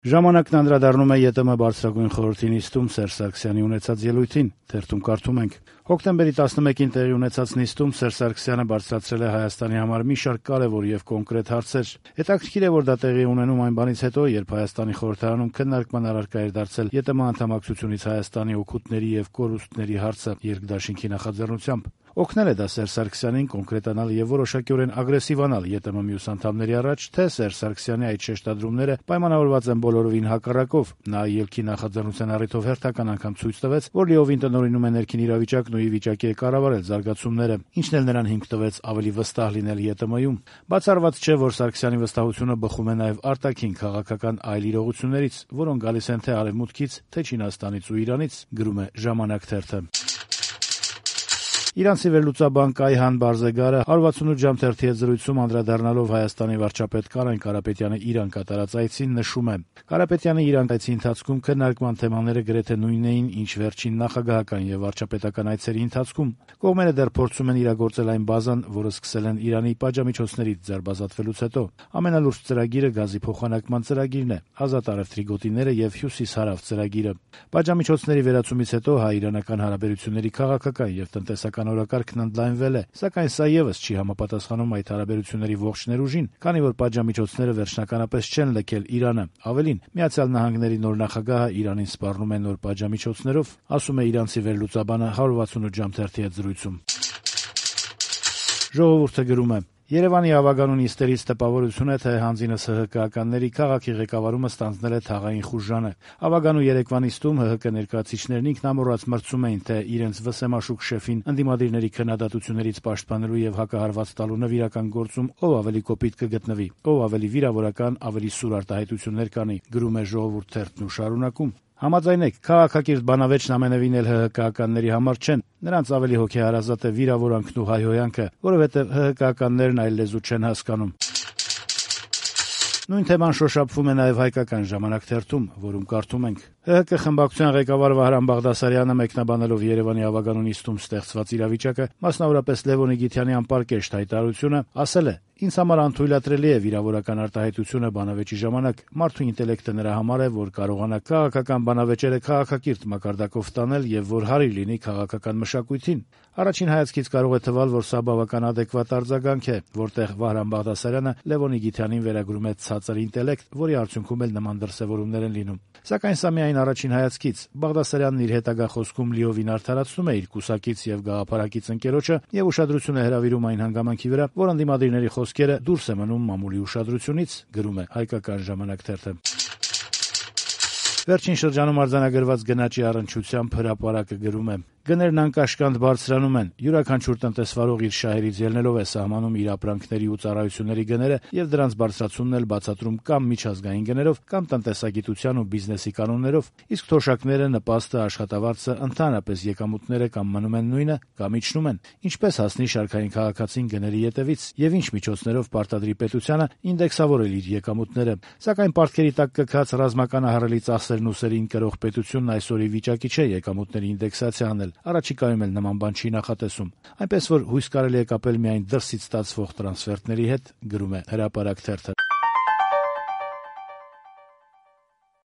Ժամանակն անդրադառնում է ԵՏՄ բարձրագույն խորհրդի նիստում Սերժ Սարգսյանի ունեցած ելույթին. թերթում կարդում ենք. հոկտեմբերի 11-ին տեղի ունեցած նիստում Սերժ Սարգսյանը բարձրացրել է Հայաստանի համար մի շարք կարեւոր եւ կոնկրետ հարցեր։ Հետաքրքիր է, որ դա տեղի ունենում այն բանից հետո, երբ Հայաստանի խորհրդարանում քննարկման առարկա էր դարձել ԵՏՄ անդամակցությունից Հայաստանի օգուտների եւ կորուստների հարցը երկդաշինքի նախաձեռնությամբ։ Օգնել է դա Սերժ Սարգսյանին կոնկրետանալ եւ որոշակիորեն ագրեսիվանալ ԵՏՄ մյուս անդամների առաջ, թե Սերժ Սարգսյանի այդ շեշտադրումները պայմանավորված են բոլորովին հակառակով։ Նա ելքի նախաձեռնության առիթով հերթական անգամ ցույց տվեց, որ լիովին տնօրինում է ներքին իրավիճակն ու ի վիճակի է կառավարել զարգացումները, ինչն էլ նրան հիմք տվեց ավելի վստահ լինել ԵՏՄ-ում։ Բացառված չէ, որ Սարգսյանի վստահությունը բխում է նաեւ արտաքին քաղաքական այլ իրողություններից, որոնք գալիս են թե Արևմուտքից, թե Չինաստանից ու Իրանից, գրում է «Ժամանակ» թերթը։ Իրանցի վերլուծաբան Կայհան Բարզեգարը 168 ժամ թերթի հետ զրույցում անդրադառնալով Հայաստանի վարչապետ Կարեն Կարապետյանի Իրան կատարած այցին նշում է. Կարապետյանի Իրան այցի ընթացքում քննարկման թեմաները գրեթե նույնն էին, ինչ վերջին նախագահական եւ վարչապետական այցերի ընթացքում։ Կողմերը դեռ փորձում են իրագործել այն բազան, որը սկսել են Իրանի պատժամիջոցներից ձերբազատվելուց հետո։ Ամենալուրջ ծրագիրը գազի փոխանակման ծրագիրն է, ազատ առևտրի գոտիները եւ հյուսիս-հարավ ծրագիրը։ Պատժամիջոցների վերացումից հետո հայ-իրանական հարաբերությունների քաղաքական եւ տնտեսական օրակարգն ընդլայնվել է, սակայն սա եւս չի համապատասխանում այդ հարաբերությունների ողջ ներուժին, քանի որ պատժամիջոցները վերջնականապես չեն լքել Իրանը։ Ավելին, Միացյալ Նահանգների նոր նախագահը Իրանին սպառնում է նոր պատժամիջոցներով, ասում է իրանցի վերլուծաբանը 168 ժամ թերթի հետ զրույցում։ Ժողովուրդը գրում է. Երևանի ավագանու նիստերից տպավորություն է, թե հանձինս ՀՀԿ-ականների քաղաքի ղեկավարումը ստանձնել է թաղային խուժանը։ Ավագանու երեկվա նիստում ՀՀԿ ներկայացիչներն ինքնամոռաց մրցում էին, թե իրենց վսեմաշուկ շեֆին ընդդիմադիրների քննադատություններից պաշտպանելու եւ հակահարված տալու նվիրական գործում ով ավելի կոպիտ կգտնվի, ով ավելի վիրավորական, ավելի սուր արտահայտություններ կանի, գրում է Ժողովուրդ թերթն ու շարունակում. Համաձայնեք, քաղաքակիրթ բանավեճն ամենևին էլ ՀՀԿ-ականների համար չեն, նրանց ավելի հոգեհարազատ է վիրավորանքն ու հայհոյանքը, որովհետև ՀՀԿ-ականներն այլ լեզու չեն հասկանում։ Նույն թեման շոշափվում է նաև հայկական ժամանակ թերթում, որում կարդում ենք. ՀՀԿ խմբակցության ղեկավար Վահրամ Բաղդասարյանը մեկնաբանելով Երևանի ավագանու նիստում ստեղծված իրավիճակը, մասնավորապես Լևոնի Գիթյանի անպարկեշտ հայտարարությունը, ասել է. «Ինձ համար անթույլատրելի է վիրավորական արտահայտությունը բանավեճի ժամանակ, մարդու ինտելեկտը նրա համար է, որ կարողանա քաղաքական բանավեճերը քաղաքակիրթ մակարդակով տանել եւ որ հարիր լինի քաղաքական մշակույթին։ Առաջին հայացքից կարող է թվալ, որ սա բավական ադեկվատ արձագանք է, որտեղ Վահրամ Բաղդասարյանը Լևոնի Գիթյանին վերագրում է ցածր ինտելեկտ, որի արդյունքում էլ նման դրսևորումներ են լինում։ Սակայն սա միայն առաջին հայացքից։ Բաղդասարյանն իր հետագա խոսքում լիովին արդարացնում է իր կուսակից եւ գաղափարակից ընկերոջը եւ ուշադրություն է հրավիրում այն հանգամանքի վրա, որ ընդդիմադիրների խոսքերը դուրս է մնում մամուլի ուշադրությունից, գրում է հայկական ժամանակ թերթը։ Վերջին շրջանում արձանագրված գնաճի առնչությամբ հրապարակը գրում է. Գներն անկաշկանդ բարձրանում են։ Յուրաքանչյուր տնտեսվարող իր շահերից ելնելով է սահմանում իր ապրանքների ու ծառայությունների գները եւ դրանց բարձրացումն էլ բացատրում կամ միջազգային գներով, կամ տնտեսագիտության ու բիզնեսի կանոններով, իսկ թոշակները, նպաստը, աշխատավարձը, ընդհանրապես եկամուտները կամ մնում են նույնը, կամ իջնում են։ Ինչպես հասնի շարքային քաղաքացին գների ետևից եւ ինչ միջոցներով պարտադրի պետությանը ինդեքսավորել իր եկամուտները։ Սակայն պարտքերի տակ կքած ռազմականահարելի ծախսերն ու սերին կրող պետությունն այսօր ի վիճակի չէ եկամուտների ինդեքսացիա անել։ Առաջիկայում էլ նման բան չի նախատեսում, այնպես որ հույս կարելի է կապել միայն դրսից ստացվող տրանսֆերտների հետ, գրում է հրապարակ թերթը։